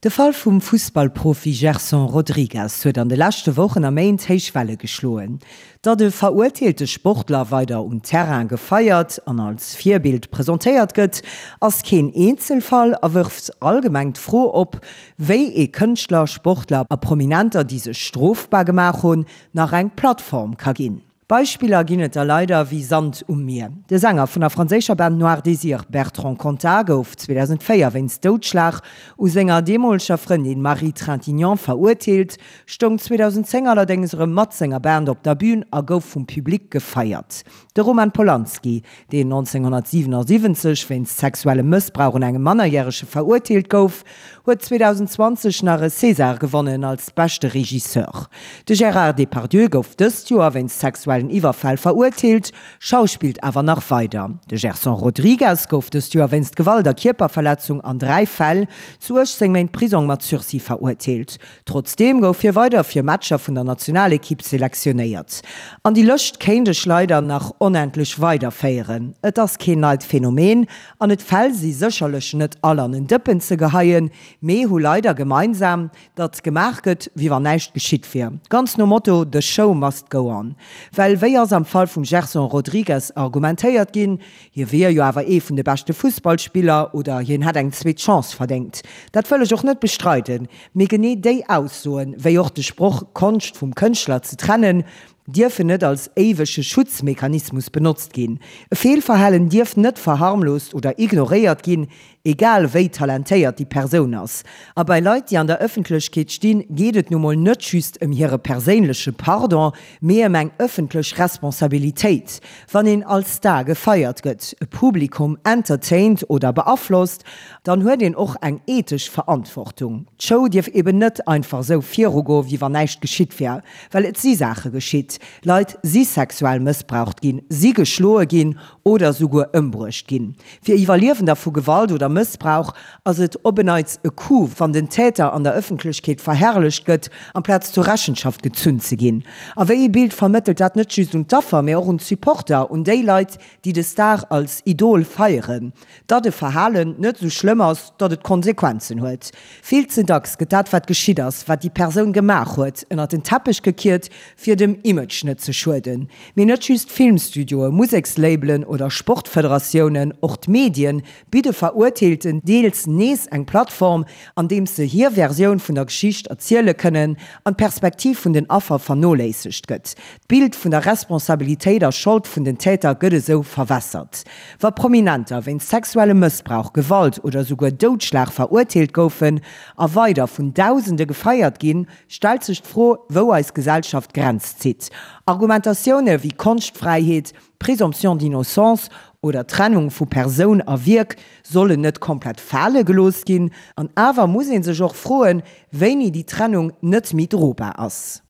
De Fall vum Fussballprofi Gerson Rodrigues huet an de leschte Wochen a Méint héich Welle geschloen. Datt e verurteelte Sportler weider um Terrain gefeiert an als Virbild presentéiert gëtt, ass keen Eenzelfall a wërft allgemeng d'Fro op, wéi ee Kënschtler, Sportler a Prominenter, déi sech strofbar gemaach hunn, nach eng Plattform ka ginn. Beispiller ginn et der leider wéi Sand um Mier. De Sänger vun der franséischer Band Noir Désir, Bertrand Cantat, gouf 2004 wéinst Doudschlag u senger deemoleger Frëndin Marie Trintignant verurteelt, stoung 2010 allerdéngs erëm mat senger Band op der Bün a gouf vum Public gefeiert. De Roman Polanski, deen 1977 wéinst sexuellem Mëssbrauch un engem Mannerjärege verurteelt gouf, huet 2020 nach e César gewonnen als beschte Regisseur. De Gérard Depardieu gouf dëst Joer wéinst sexuellen Iwwerfäll verurteelt, schauspillt awer nach weider. De Gerson Rodrigues gouf dëst Joer wéinst Gewalt a Kierperverletzung an 3 Fäll zu 18 Méint Prisong mat Sursis verurteelt. Trotzdeem gouf hie weider fir Matcher vun der Nationalekipp selektionéiert. An déi Lëscht kéint ech leider nach onendlech weiderféieren. Et ass keen neit Phänomen an et Fäll si sécherlech net all an en Dëppen ze geheien, mee hu leider gemeinsam, datt gemaach gëtt, wéi wann näischt geschitt wier. Ganz nom Motto The show must go on. Well wéi ass am Fall vum Gerson Rodrigues argumentéiert ginn, Hie wier jo awer ee vun de beschte Fussballspiller oder hien hätt eng zweet Chance verdéngt. Dat wëll ech och net bestreiden, mee genee déi Aussoen, wéi och de Sproch Konscht vum Kënschtler ze trennen, dierfen net als éiwege Schutzmechanismus benotzt ginn. E Feelverhalen dierf net verharmlost oder ignoréiert ginn, egal wéi talentéiert déi Persoun ass. A bei Leit, déi an der Ëffentlechkeet stinn, geet et nu mol net just ëm hire perséinleche Pardon, mee ëm eng ëffentlech Responsabilitéit. Wann een als Star gefeiert gëtt, e Publikum entertaint oder beaflosst, dann huet een och eng ethesch Verantwortung. D'Show dierf eben net einfach esou virugoen, wéi wann näischt geschitt wär. Well et si Saache geschitt, Leit si sexuell mëssbraucht ginn, si geschloe ginn oder souguer ëmbruecht ginn. Fir Iwwerliewender vu Gewalt oder Mëssbrauch ass et op en Neits e Coup, wann den Täter an der Ëffentlechkeet verherrlecht gëtt, amplaz zur Rechenschaft gezunn ze ginn. A wéi ee Bild vermëttelt dat net just un d'Affer, mee och un d'Supporter, un déi Leit, déi de Star als Idol feieren? Datt e Verhalen net esou schlëmm ass, datt et Konsequenzen huet. Vill ze dacks gëtt dat, wat geschitt ass, wat déi Persoun gemaach huet, ënnert den Teppech gekiert, fir dem Image net ze schueden. Mee net just Filmstudioe, Musekslabelen oder Sportfederatiounen, och d'Medien bidde Verurteelten deels nees eng Plattform, andeems se hir Versioun vun der Geschicht erziele kënnen an d'Perspektiv vun den Affer vernoléissegt gëtt. D'Bild vun der Responsabilitéit a Schold vun den Täter gëtt esou verwässert. Wa Prominenter wéinst sexuellem Mëssbrauch, Gewalt oder souguer Doudschlag verurteelt goufen a weider vun Dausende gefeiert ginn, stellt sech d'Fro, wou eis Gesellschaft d'Grenz zitt. Argumentatioune wéi Konschtfräiheet, Présomption d'innocence oder Trennung vu Persoun a Wierk sollen net komplett fale gelooss ginn. An awer muss ee sech och froen, wéini déi Trennung net méi drobar ass.